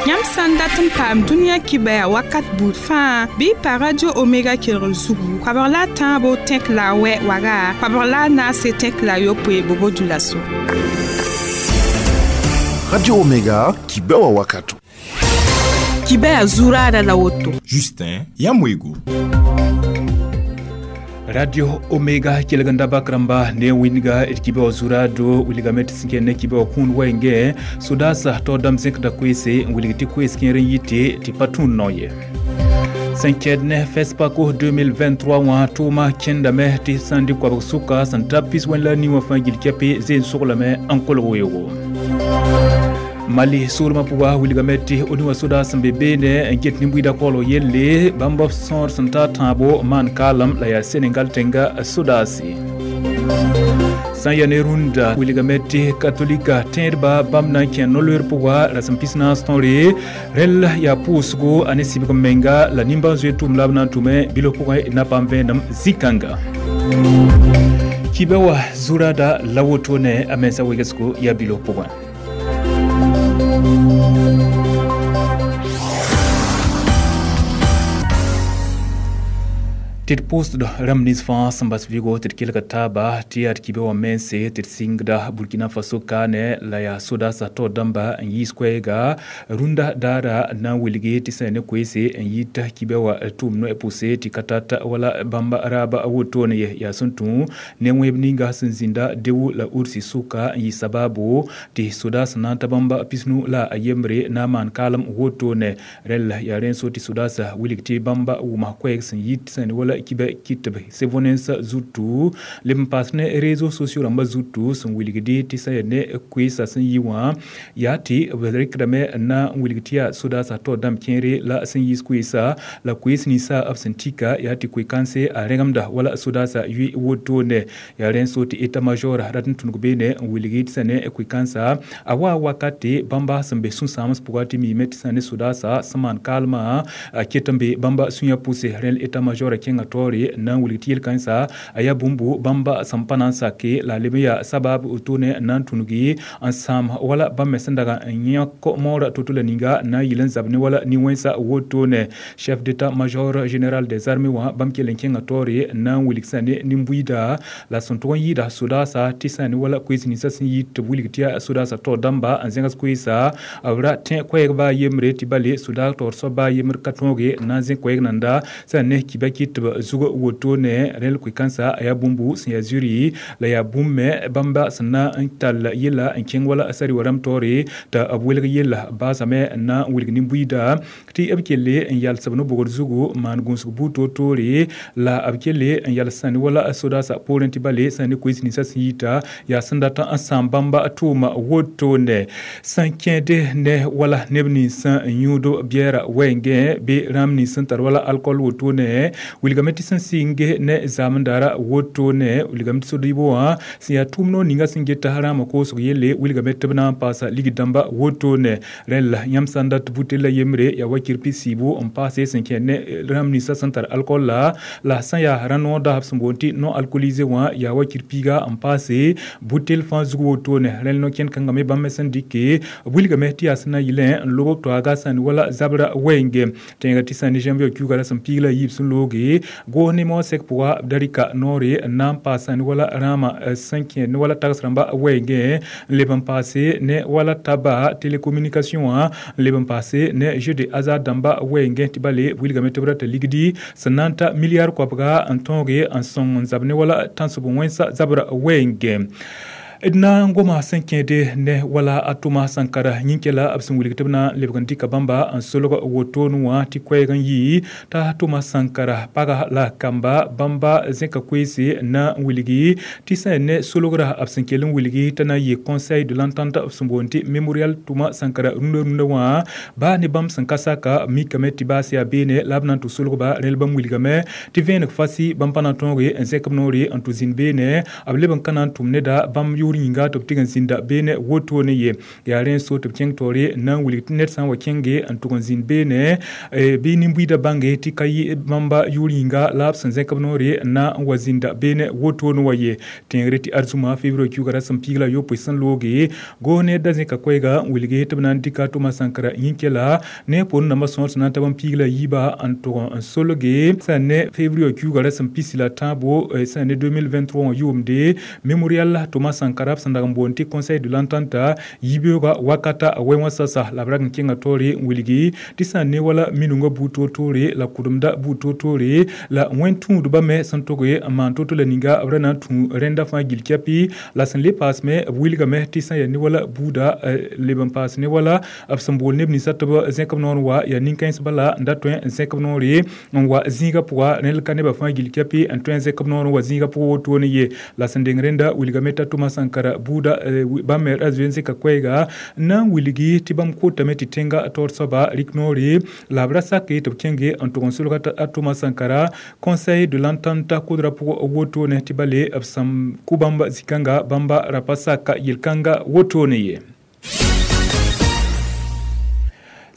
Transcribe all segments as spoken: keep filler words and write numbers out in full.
Yãmb sã n dat n paam dũniyã kibɛa wakat buud fãa bɩ y pa Radio Omega kelgr zugu koabg la a tãabo tẽk la a wɛ waga koabg la a naase tẽk la a yopoe Bobo-Dioulasso. Radio Omega, kibɛwa wakato. Kibɛa zuraada la woto. Justin Yamwego. Radio Omega kelganda bakramba ne winga d kibe wa zurado wilgame tɩ sẽn ne kibe wa kũun wɛɛngẽ sodaasã tao dãmb zẽkda koeese n wilg tɩ koees kẽer n yite tɩ pa tũud nao ye. Sẽn kɛd ne FESPACO deux mille vingt-trois wã tʋʋma kẽndame tɩ sã n dɩ koabg sʋka sẽn ta pis wẽn la nii wã fãa gil kɛpɩ zeen soglame n kolg weoogo. Mali soolmã pʋga wilgame tɩ O N U wã sodaas sẽn be beene n get nin-buiidã koglg yelle bãmb b sõor sẽn ta tãabo maan kaalem la yaa Senegal tẽnga sodaase. Sã n yaa ne rũndã wilgame tɩ katolika tẽedba bãmb na n kẽ no-loeer pʋga rasem pis naas tõre rẽll yaa pʋʋsgo a ne sɩbg menga la nimbãan-zoeer tʋʋm la b na n tʋme bilf pʋgẽ na paam vẽenem zĩ-kãnga. Kibɛ wa zurada la woto ne a mensã wegsgo yaa bilf pʋgẽ. Tɩ d pʋʋsd rãmb nins fãa sẽn bas vɩgo tɩ d kelga taaba tɩ yaa d kibe wã mense tɩ d sɩngda Burkina Faso kaane la yaa sodaasã taoor dãmba n yiis koɛɛga rũndã daara na n wilgi tɩ sã ne koeese n yita kibe wã tʋʋm noɛ pʋse tɩ ka tata wala bãmba raaba wotone ye yaa sẽn tũ ne wẽeb ninga sẽn zĩnda Dewu la Ursi sʋka n yɩ sabaabo tɩ sodaasã na n ta bãmba pisnu la a yembre na n maan kaalem wotone rẽll yaa rẽn so tɩ sodaasã wilg tɩ bãmba wʋma koɛɛg sẽn yit sã ne wala kibe kitb sevonensa zutu leb n paas ne réseaux sociaux rãmbã zutu sẽn wilgdi tɩ sã yaa ne koeesã sẽn yi wã yaa tɩ b rɩkdame na n wilg tɩ yaa sodaasã taoor dãmb kẽere la sẽn yiis koeesa la koees ninsã b sẽn tika yaa tɩ koe-kãnse a rẽgemda wala sodaasã yʋ wotone yaa rẽn so tɩ état major rat n tũnug beene n wilgi tɩ sã ne koe-kãnsa a wa wakate bãmba sẽn be sũ-sãams pʋga tɩ miime tɩ sã ne sodaasã sẽn maan kaalmã a ket n be bãmba sũyã pʋse rẽl état major kẽnga taoore na n wilg tɩ yel-kãensã a yaa bũmbu bãmba sẽn pa na n sake la a leb n yaa sabab wotone na n tũnugi n sãam wala bãmb me sẽn dag n yãk moorã to-to la ninga na n yɩl n zab ne wala nin-wẽnsã wotone. Chef d'état major général des armées wã bãmb kell n kẽnga taoore na n wilg sã ne nin-buiida la sẽn tʋg n yɩɩda sodaasã tɩ sã ne wala koees ninsã sẽn yit tɩ b wilg tɩ yaa sodaasã taoor dãmba n zẽgs koeesa b ra tẽ koɛɛg baa yembre tɩ bale sodaag taoor soab baa yembr ka tõoge na n zẽ koɛɛg nanda sã ne kiba kɩt tɩ b zug wotone rẽl koe-kãnsã a yaa bũmbu sẽn yaa zuri la yaa bũmb me bãmba sẽn na n tall yella n kẽng wala sari wa rãmb taoore tɩ b welg yella baasame na n wilg nin-buiida tɩ b kelle n yals b no-bogd zugu maan gũusg buud toor-toore la b kelle n yals sã ne wala sodaasã poorẽ tɩ bale sã ne koees ninsã sẽn yita yaa sẽn dat n sãam bãmba tʋʋma wotone. Sẽn kẽede ne wala neb ninsã n yũud biɛɛra wɛɛngẽ bɩ rãmb nins sẽn tar wala alcool wotone wilgame tɩ sẽn sɩnge ne zaamdaara wotone wilgame tɩ sodɩɩbo wã sẽn yaa tʋʋm noor ninga sẽn geta rãamã koosg yelle wilgame tɩ b na n paasa lig dãmba wotone rẽll yãmb sã n dat butella yembre yaa wakir pis-siibo n paase sẽn kẽ ne rãmb ninsã sẽn tar alcool la la sã yaa rã-noor daasb sẽn boond tɩ non alcoolisé wã yaa wakir piiga n paase butel fãa zug wotone rẽll no-kẽnd kãngã me bãmb me sẽn dɩke b wilgame tɩ yaa sẽn na yɩlẽ n lob toaaga sã ne wala zabra wɛɛnge tẽega tɩ sã ne janvier kiuga la sẽn piig la yiib sẽn looge goos ne moasɛk pʋga b da rɩka noore n na n paas sã ne wala rãamã sẽn kẽ ne wala tags rãmba wɛɛngẽ n leb n paase ne wala taba télécommunication wã n leb n paase ne jeu de hasard dãmba wɛɛngẽ tɩ bale b wilgame tɩ b rata ligdi sẽn na n ta milliard koabga n tõoge n sõng n zab ne wala tãnsb wẽnsa zabra wɛɛngẽ. D na n goma sẽn kẽede ne wala a Tʋma Sankara yĩn-kɛla b sẽn wilg tɩ b na n lebg n dɩka bãmba n solg wotone wã tɩ koɛɛg n yɩ t'a Tʋma Sankara paga la kamba bãmba zẽka koeese na n wilgi tɩ sã ne solgra b sẽn kell n wilgi t'a na n yɩ Conseil de l'entente b sẽn boond tɩ Mémorial Tʋma Sankara rũndã rũndã wã baa ne bãmb sẽn ka saka mikame tɩ baas yaa beene la b na n tʋ solgba rẽl bãmb wilgame tɩ vẽeneg fasi bãmb pa na n tõoge n zẽk b noore n tʋ zĩnd beene b leb n ka na n tʋm neda bãmb yʋʋr. yʋʋr yĩnga tɩ b tɩg n zĩnda beene wotone ye yaa rẽ so tɩ b kẽng taoore na n wilg tɩ ned sã n wa kẽnge n tʋg n zĩnd beene bɩ nin-buiidã bãnge tɩ ka yɩ bãmba yʋʋr yĩnga la b sẽn zẽk b noore na n wa zĩnda beene wotone wa ye tẽegre tɩ arzũma februar kiuga rasem piig la yopoe sẽn looge goos ne da zẽka koɛɛga n wilge tɩ b na n dɩka Thomas Sankara yĩn-kɛla ne poorẽ nambã sõor sẽn na n tab n piig la yiiba n tʋg n solge sã ne février kiuga rasem pisi la tãabo sã ne deux mille vingt-trois wã yʋʋmde mémorial Thomas Sankara b sẽn dag n boond tɩ conseil de l'entente yibeoogã wakata a wɛ wã sasa la b rag n kẽnga taoore n wilgi tɩ sã n ne wala minungã buud toor-toore la kʋdemda buud toor-toore la wẽn-tũudbã me sẽn toge n maan to-to la ninga b ra na n tũ rẽnda fãa gill kɛpɩ la sẽn le paasme b wilgame tɩ sã n yaa ne wala buuda leb n paas ne wala b sẽn bool neb ninsã tɩ b zẽk b noor n wa yaa nin-kãens bala n da tõe n zẽk b noore n wa zĩigã pʋga rẽnd ka nebã fãa gill kɛpɩ n tõe n zẽk b noor n wa zĩigã pʋgã wotone ye la sẽn deng rẽnda wilgame t'a Thomas Sankara buuda bãmb me ra zoe n zẽka koɛɛga n na n wilgi tɩ bãmb kotame tɩ tẽnga taoor soaba rɩk noore la b ra sake tɩ b kẽnge n tʋg n solga a Thomas Sankara conseil de l'entente kodrã pʋgã wotone tɩ bale b sẽn kʋ bãmb zĩ-kãnga bãmba ra pa sak yel-kãnga wotone ye.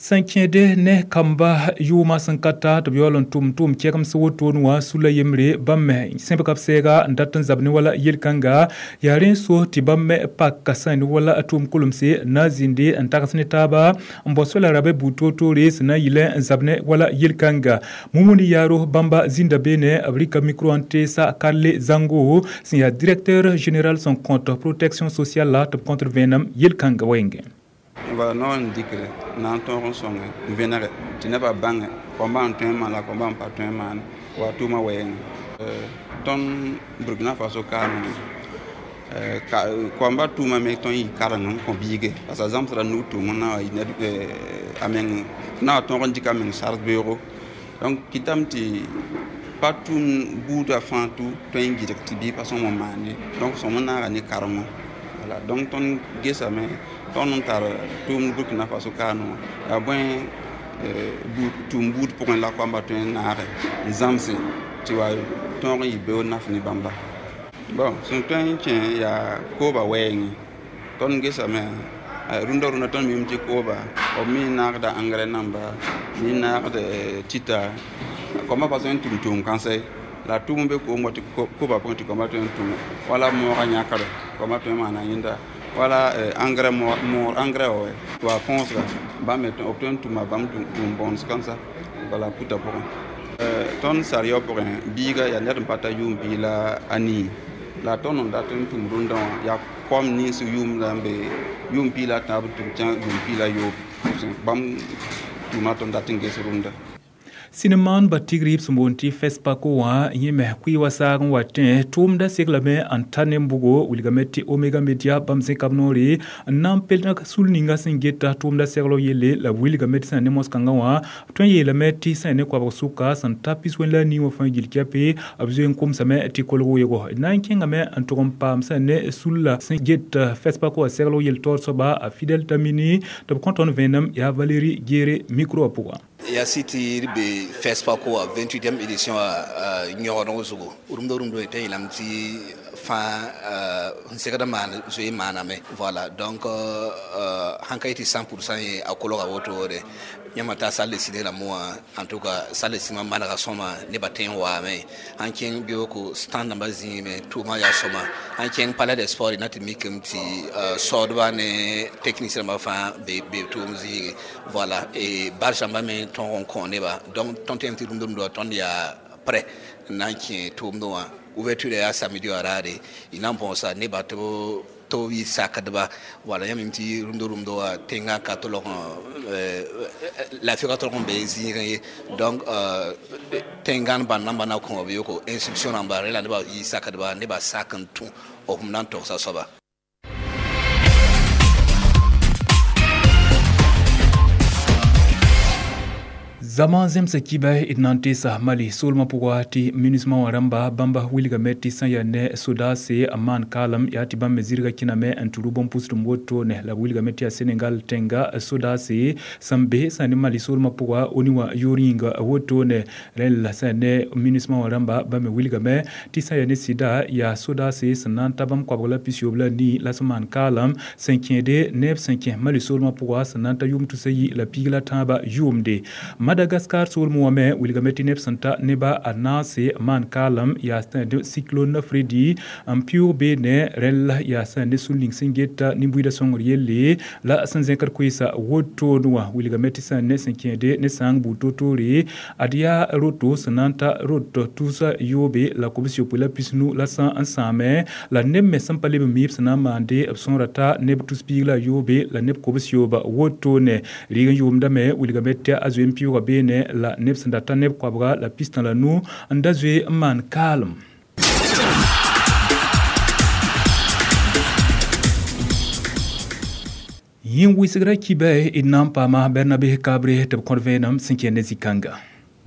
Sẽn kẽede ne kamba yʋʋmã sẽn ka ta tɩ b yaool n tʋm tʋʋm kɛgems wotone wã sula yembre bãmb me sẽbga b sɛɛga n dat n zab ne wala yel-kãnga yaa rẽ so tɩ bãmb me pak sã ne wala tʋʋm kolemse na n zĩnde n tags ne taaba n bao sola rabɛ buud toor-toore sẽn na n yɩlẽ n zab ne wala yel-kãnga Mumuni Yaaro bãmba zĩnda beene b rɩka micro n teesa Karle Zango sẽn yaa directeur général sẽn kõt protection sociale la tɩ b kõtr vẽenem yel-kãnga wɛɛngẽ. Wala no n dɩkre na n tõog n sõnge n vẽnege tɩ nebã bãnge kõmba n tõe n maan la kõmba n pa tõe n maan wa tʋʋmã wɛɛngẽ tõnd Burkina Faso kaame kõmba tʋʋma me tõnd yɩ kareng n kõ biige parce que a zãmsda nug tʋʋm n na wa yɩ ned a meng na wa tõog n dɩk a meng sars beoogo donc kɩtame tɩ pa tʋʋm buudã fãa tʋ tõe n gɩdg tɩ biig pa sõm n maan ye donc sõm n naaga ne karengõ voilà donc tõnd gesame tõnd n tar tʋʋmd Burkina Faso kaane wã yaa bõe tʋʋm buud pʋgẽ la koamba tõe n naage n zãmse tɩ wa tõog n yɩ beoog naf ne bãmba bon sẽn tõe n kẽ yaa kooba wɛɛngẽ tõnd gesame rũndã rũndã tõnd mim tɩ kooba b me naagda engrais namba me naagd tita koambã pa tõe n tʋm tʋʋm kãnsɛ la tʋʋm be koom wa tɩ kooba pʋgẽ tɩ koambã tõe n tʋme wala moogã yãkre koambã tõe n maana yẽnda wala engrais moor engrais wa wa põosga bãmb me b tõe n tʋma bãmb tʋʋm bõns kãnsa bala puta pʋgẽ tõnd sarɩyao pʋgẽ biiga yaa ned n pa ta yʋʋm pii la a nii la tõnd n dat n tʋm rũndã wã yaa kom nins yʋʋm la n be yʋʋm pii la a tãab tɩ b kẽ yʋʋm pii la yoob bãmb tʋʋma tõnd dat n ges rũndã. Sɩnemaan ba tigr b sẽn boond tɩ FESPACO wã yẽ me kʋɩ wa saag n wa tẽ tʋʋmda seglame n ta nembugo wilgame tɩ Omega Media bãmb zẽka b noore n na n pel sul ninga sẽn geta tʋʋmda segl yelle la b wilgame tɩ sã ne mos-kãngã wã b tõe n yeelame tɩ sã ne koabg sʋka sẽn ta pis-wẽn la a nii wã fãa gill kɛpɩ b zoe n komsame tɩ kolg weoogo na n kẽngame n tʋg n paam sã ne sulla sẽn get FESPACO wã segl yel taoor soaba a Fidel Tamini tɩ b kõ tõnd vẽenem yaa Valérie Guéré micro wã pʋgã. Ya siti be FESPACO a vingt-huitième édition a yõgdg zugu rũmda rũmda tɩ yeelame tɩ fãa n segd maan zoe maaname voilà donc sãn ka yetɩ cent pour cent ye a kolga wotode yãmba t'a salle de ciné rãmb wã en tout cas salle de cinéma manega sõma nebã tõe n waame sãn kẽng beooko stand rãmbã zĩime tʋʋmã yaa sõma sãn kẽng palais des sports na tɩ mikame tɩ saoodba ne technicien rãmbã fãa be tʋʋm zĩige voilà et barge rãmbã me tõog n kõ neba donc tõnd tẽem tɩ rũmda rũmda tõnd yaa prêt n na n kẽ tʋʋmdẽ wã ouverture yaa samedi wã raare y na n põosa nebã tɩ b tɩ b yɩ sakdba wala yãmb tɩ rũmda rũmda wã tẽngã ka tolg laafɩ ka tolg n be zĩigẽ ye donc tẽngãn bãnd namba na kõ b yoko instruction rãmba rẽ la nebã yɩ sakdba nebã sak n tũ b na n togsa soaba. Zama zemsa kiba d na n teesa Mali soolmã pʋga tɩ MINUSMA wã rãmba bãmba wilgame tɩ sã n yaa ne sodaase n maan kaalem yaa tɩ bãmb me zɩrga kẽname n tɩ rʋ bõn-pʋsdem woto ne la b wilgame tɩ yaa Senegal tẽnga sodaase sẽn be sã ne Mali soolmã pʋga ONU wã yoor yĩnga woto ne rẽnd la sã ne MINUSMA wã rãmba bãmb me wilgame tɩ sã n yaa ne sɩda yaa sodaase sẽn na n ta bãmb koabg la pis-yoob la nii la sẽn maan kaalem sẽn kẽede neb sẽn kẽ Mali soolmã pʋga sẽn na n ta yʋʋm tusa yi la piig la tãabã yʋʋmde. Madagascar soolmẽ wã me wilgame tɩ neb sẽn ta neba a naase maan kaalem yaa sã ne cyclone Freddy n pɩʋʋg beene rẽnd la yaa sã ne sũ ning sẽn geta nin-buiidã sõngr yelle la sẽn zẽkd koeesa wotone wã wilgame tɩ sã ne sẽn kẽede ne sãang buud toor-toore ad yaa roto sẽn na n ta roto tusa yoobe la kobs-yopoe la pisnu la sã n sãame la neb me sẽn pa leb n miib sẽn na n maande b sõora ta neb tus piig la yoobe la neb kobs-yooba wotone rɩg n yʋʋmdame wilgame tɩ a zoe n pɩʋʋga beene la neb sẽn da ta neb koabga la pistã la nu n da zoe n maan kaalem. Yẽ wɩsgra kiba d na n paama Bernabe Kabre tɩ b kõt vẽenem sẽn kẽ ne zĩ-kãnga.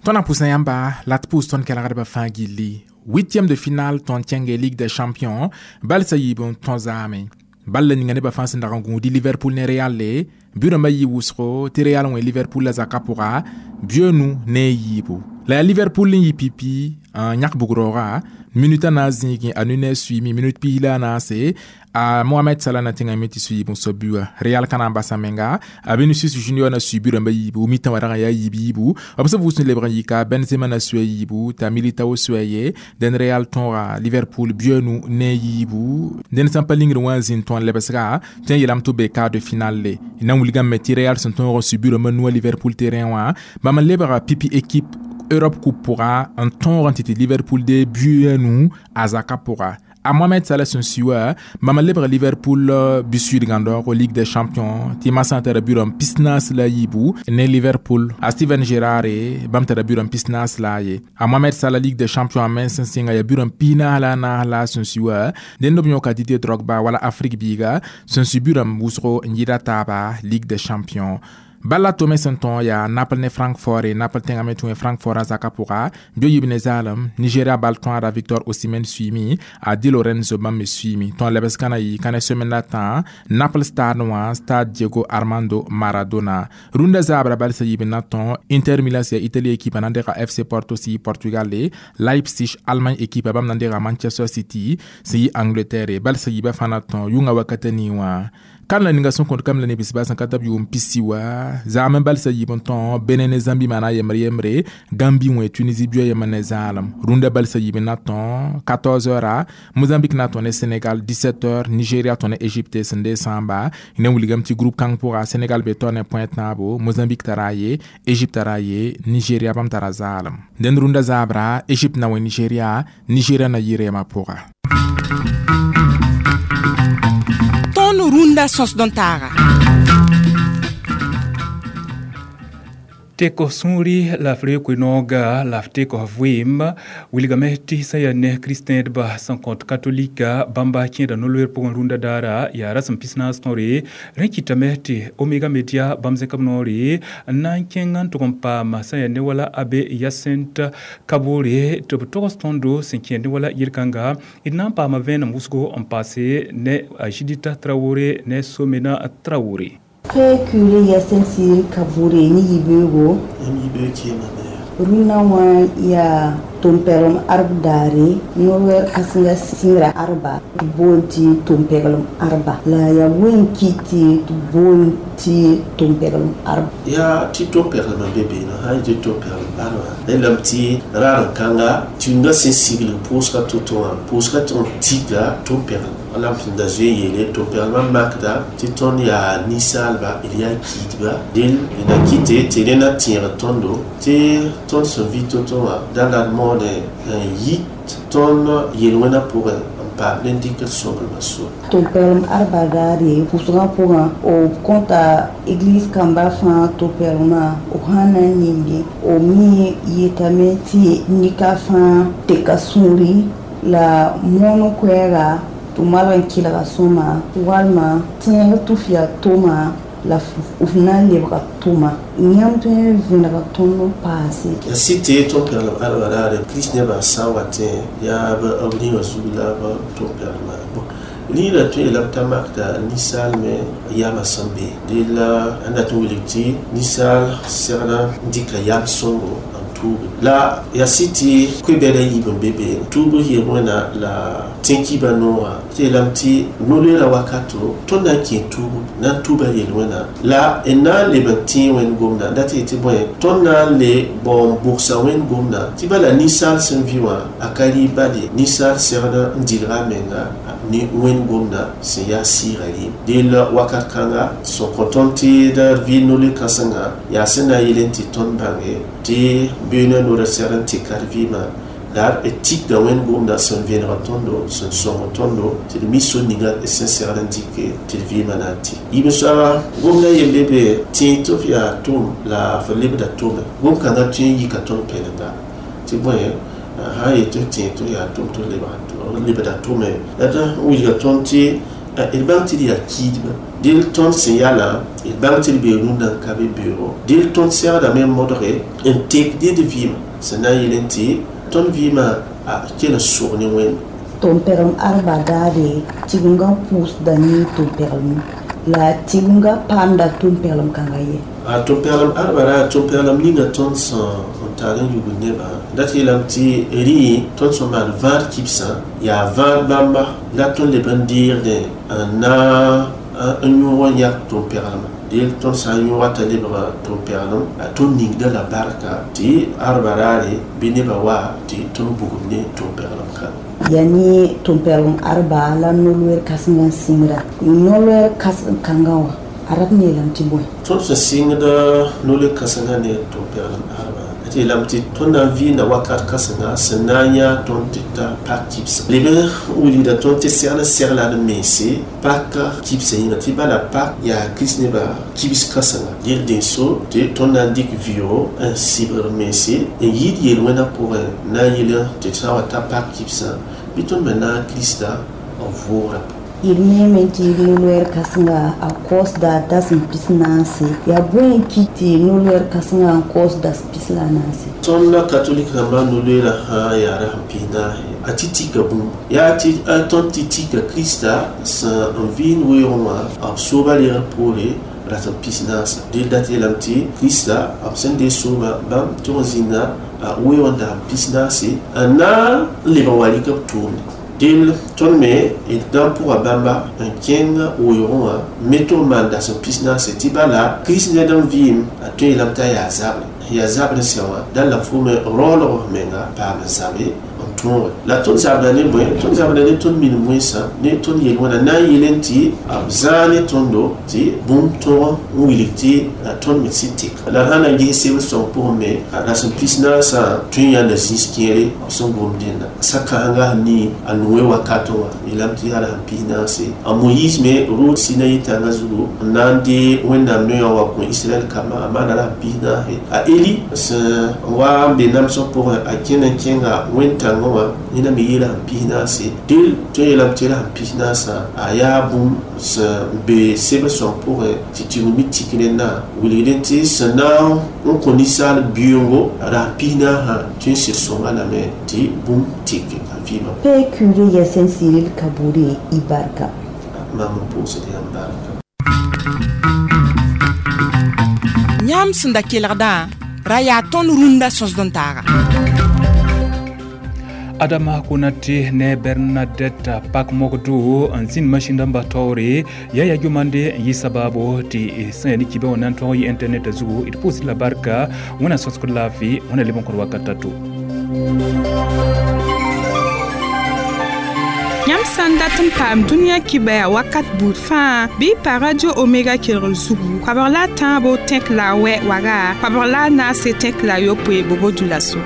Tõnd na pʋsã yãmba la t pʋʋs tõnd kelgdbã fãa gilli huitième de finale tõnd kẽnge Ligue des champions bal sã yiib n tõ zaame bal la ninga nebã fãa sẽn dag n gũudi Liverpool ne Real le bɩ rãmbã yɩ wʋsgo tɩ Real wẽ Liverpool la zakã pʋga bɩ nu ne a yiibu la yaa Liverpool n yɩ pipi n yãk bug-raooga minute a na n zĩigẽ a Nunez suiime minute piis la a naase a Mohamed Salah na tẽngame tɩ suiib n soab bua Real ka na n basa menga a Vinicius Junior na sui bu rãmbã yiibu mitã wã rag n yaa yiib yiibu b sẽn vʋʋs n lebg n yika Benzema na sua yiibu t'a Militao sua ye dẽn Real tõoga Liverpool bia nu ne a yiibu dẽnd sã n pa lingr wã n zĩnd tõnd lebsga tõe n yeelame tɩ b be quart de finale le na n wilgame tɩ Real sẽn tõog n sui bu rãmbã nua Liverpool terrain wã bãmb n lebga pipi équipe Europe Coupe pʋga n tõog n tɩ tɩ Liverpool de bia nu a zaka pʋga a Mohamed Salah sẽn sui wã bãmb n lebg Liverpool bi-suidgãndoogo Ligue des champions tɩ masã tara bu-rãmb pis-naas la a yiibu ne Liverpool a Steven Gerrard bãmb tara bu-rãmb pis-naas la a ye a Mohamed Salah Ligue des champions a mens sẽn sɩnga yaa bu-rãmb pis-naas la a naas la a sẽn sui wã dẽnd b yõka Didier Drogba wala Afrique biiga sẽn sui bu-rãmb wʋsgo n yɩda taaba Ligue des champions bala tome sẽn tõog yaa Naples ne Francfort Naples tẽngame tũ Francfort a zakã pʋga bɩ yib ne zaalem Nigeria bal tõada Victor Osimhen suiime a Di Lorenzo bãmb me suiime tõog lebs ka na yɩ ka ne semaine la tã Naples stade wã stade Diego Armando Maradona rũndã zaabra bal sã yib n na tõog Inter Milan sã yaa Italie équipe na n dega F C Porto sẽn yɩ Portugal Leipzig Allemagne équipe bãmb na n dega Manchester City sẽn yɩ Angleterre bal sã yiibã fãa na tõog yʋngã wakata nii wã kan la ninga sẽn kõt kam la ne bisba sẽn ka tab yʋʋm pisi wa zaam n bal sã yiib n tõog Benin ne Zambie maana yembre yembre Gambie wẽ Tunisie bia yemb ne zaalem rũndã bal sã yiib n na tõog quatorze heures Mozambique na tõe ne Sénégal dix-sept heures Nigeria tõe ne Égypte sẽn dee sãamba ne wilgame tɩ groupe kãng pʋga Sénégal be tao ne point tãabo Mozambique tara a ye Égypte tara a ye Nigeria bãmb tara zaalem dẽnd rũndã zaabra Égypte na wẽ Nigeria Nigeria na yɩ rɛɛmã pʋga rũndã sõsd n taaga tɩk sũuri la f reeg koe-nooga la f tɩk vɩɩm wilgame tɩ sã yaa ne kristẽedba sẽn kõt katolika bãmba kẽeda no-loeer pʋgẽ rũndã daara yaa rasem pis-naas tõre rẽ kɩtame tɩ Omega Media bãmb zẽk b noore n na n kẽng n tʋg n paam sã yaa ne wala Abe Yacinthe Kaboré tɩ b togs tõndo sẽn kẽed ne wala yel-kãnga d na n paama vẽenem wʋsgo n paase ne a Judith Traoré ne Somena Traoré. Père curé Yacinthe Kaboré ni yibeogo rũndã wã yaa tʋm-pɛglem arb daare no-wɛr kãsenga sɩngra arba tɩ boond tɩ tʋm-pɛglem arba la yaa wen kɩ tɩ tɩ boond tɩ tʋm-pɛglem arba yaa tɩ tʋm-pɛglmã be beene sã n yetɩ tʋm-pɛglem arba rẽndame tɩ raar-n-kãnga tũngã sẽn sigl pʋʋsga to-to wã pʋʋsga tɩ n tika tʋm-pɛglem wala m sẽn da zoe yeele tʋm-pɛglmã makda tɩ tõnd yaa ninsaalba d yaa kiidba del d na kɩte tɩ rẽ na tẽeg tõndo tɩ tõnd sẽn vɩ to-to wã da la d moone n yit tõnd yel-wẽnã pʋgẽ n paam ne dɩkd sõmblmã sor tʋm-pɛglem arba daare pʋsgã pʋgã b kõta église kamba fãa tʋm-pɛglmã b sã na n ning b me yetame tɩ nika fãa teka sũuri la moon koɛɛga tɩ malg n kelga sõma walma tẽeg tʋ f yaa toma La f na n lebga tʋma yãmb tõe n vẽnega tõnd n paase. Ya sɩd tɩ tõm-pɛglem arba raare kirist nebã sã n wa tẽ yaa b rĩmã zug la b tõm-pɛglmã rĩirã tõe yeelame t'a makda ninsaal me yamã sẽn be deel a dat n wilg tɩ ninsaal segd n dɩka yam sõngo n tuuge la yaa sɩd tɩ koe-bɛda yiib n be beene tuub yel wẽna la tẽn-kiibã noogã tɩ yeelame tɩ no-loeera wakato tõnd na n kẽ tuubu na n tuuba yel wẽna la d na n leb n tẽe wẽnd gomda dat yetɩ tɩ bõe tõnd na n le bao n bʋgsa wẽnd gomda tɩ bala ninsaal sẽn vɩ wã a ka rɩ bal ye ninsaal segd n dɩlga a menga ne wẽnd gomda sẽn yaa sɩɩga rɩɩm deel wakat kãnga sẽn kõ tõnd tɩ d vɩ no-loe kãsenga yaa sẽn na n yel n tɩ tõnd bãnge tɩ beoonã noorã segd n tɩka d vɩɩmã la d tikda wẽnd gomda sẽn vẽneg tõndo sẽn sõng tõndo tɩ d mi so ninga d sẽn segd n dɩke tɩ d vɩɩmã na n tɩ yiib soaba gomda yembe be tẽ tɩ f yaa tʋm la f lebda tʋme gom kãngã tõe n yika tõnd pɛlenga tɩ bõe sã n yet tɩ f tẽ tɩ f yaa tʋm tɩ f lebda tʋme la d wilga tõnd tɩ d bãng tɩ d yaa kiidba deel tõnd sẽn yalã d bãng tɩ d bee rũndã n ka be beoogo deel tõnd segdame n modge n tek dɩ d vɩɩmã sẽn na n yel n tɩ tõnd vɩɩmã a kell n sog ne wẽnd tʋm-pɛglem arba daare tigengã pʋʋsda ne tʋm-pɛglem la tigengã paamda tʋm-pɛglem kãngã ye a tʋm-pɛglem arba ra tʋm-pɛglem ninga tõnd sẽn n tar n yugd nebã dat yeelame tɩ rĩ tõnd sẽn maan vãad kibsã yaa vãad bãmba la tõnd leb n deegdẽ n na n yõog n yak tʋm-pɛglmã deel tõnd sã n yõoga t'a lebga tʋm-pɛglem a tõnd ningda la barka tɩ arba raare bɩ nebã wa tɩ tõnd bugum ne tʋm-pɛglem kãngã yaa ne tʋm-pɛglem arba la no-loeer kãsengã n sɩngra no-loeer kãseng kãngã wã a rat n yeelame tɩ bõe tõnd sẽn sɩngda no-loe kãsengã ne tʋm-pɛglem arba tɩ yeelame tɩ tõnd na n vɩɩnda wakat kãsenga sẽn na n yã tõnd tɩ ta pak kibsã leb n wilgda tõnd tɩ segd n segla d mense pak kibsã yĩnga tɩ bala pak yaa kirist nebã kibs kãsenga yel dẽnso tɩ tõnd na n dɩk vɩʋgo n sɩbg mense n yɩɩd yel-wẽnã pʋgẽ na n yel tɩ sã n wa ta pak kibsã bɩ tõnd me na n krista n vʋʋgrã d neeme tɩ no-loɛɛr kãsenga a kaoosda dasem pis naase yaa bõe n kɩt tɩ no-loɛɛr kãsengã n kaoos das pis la a naase tõnd la katolik rãmbã no-loeerã sã yaa rasem pis naase a tɩ tika bũmb yaa tɩ tõnd tɩ tika krista sẽn n vɩɩnd weoogẽ wã b sooba reegr poore rasem pis naasa deel dat yeelame tɩ krista b sẽn dee soobã bãmb tʋg n zĩnda a weoog n dasem pis naase n na n leb n wa rɩk b tʋʋmde deel tõnd me d na n pʋga bãmba n kẽng weoogẽ wã me tʋg n maan dasem pis naase tɩ bala kirist ned n vɩɩm a tõe yeelame t'a yaa zabre yaa zabr sẽn wã dãn la fo me raoolg f menga paam n zabe n tõoge la tõnd zabda ne bõe tõnd zabda ne tõnd minim wẽnsã ne tõnd yel-wẽna na n yel n tɩ b zãag ne tõndo tɩ bũmb tõog n wilg tɩ tõnd me sɩd tɩk la d sã na n ges sebr sõng pʋgẽ me rasem pis naasã tõe n yãnda zĩis kẽere b sẽn gom dẽnda sa-kãsenga sẽn nii a noe wakatẽ wã yeelame tɩ yaa rasem pis naase a moyiis me rʋʋd sinayi tãngã zugu n na n dee wẽnnaam noyã wa kõ israɛl kambã a maana rasem pis naase a eli sẽn wa n be namsg pʋgẽ a kẽnd n kẽnga wẽn-tãngã wã yẽna me yeela sẽn pis naase deel tõe yeelame tɩ rasem pis naasã a yaa bũmb sẽn be sebr sõng pʋgẽ tɩ tɩg mi tik rẽndã wilgdẽ tɩ sẽn na n kõ ninsaal bɩoongo rasem pis naasã tõe n sɩd sõnga lame tɩ bũmb tɩk a vɩɩmã Père curé Yassine Cyril Kabouré i barka mam n pʋʋsd yãmb barka Yãmb sẽn da kelgdã ra yaa tõnd rũndã sõsd n taaga Adama Konate ne Bernadette Pakmogdo n zĩnd masĩn rãmba taoore yaa ya gomande n yɩ sabaabo tɩ sẽn yaa ne kibe wã na n tõg yɩ internet zugu d pʋʋsd la barka wẽna sõsgd laafɩ wẽna leb n kõd wakat to. Yãmb sã n dat n paam dũniyã kibaya wakat buud fãa bɩ y pa radio Omega kelgr zugu koabg la a tãabo tẽk la a wɛ waga koabg la a naase tẽk la a yopoe bobo dula so.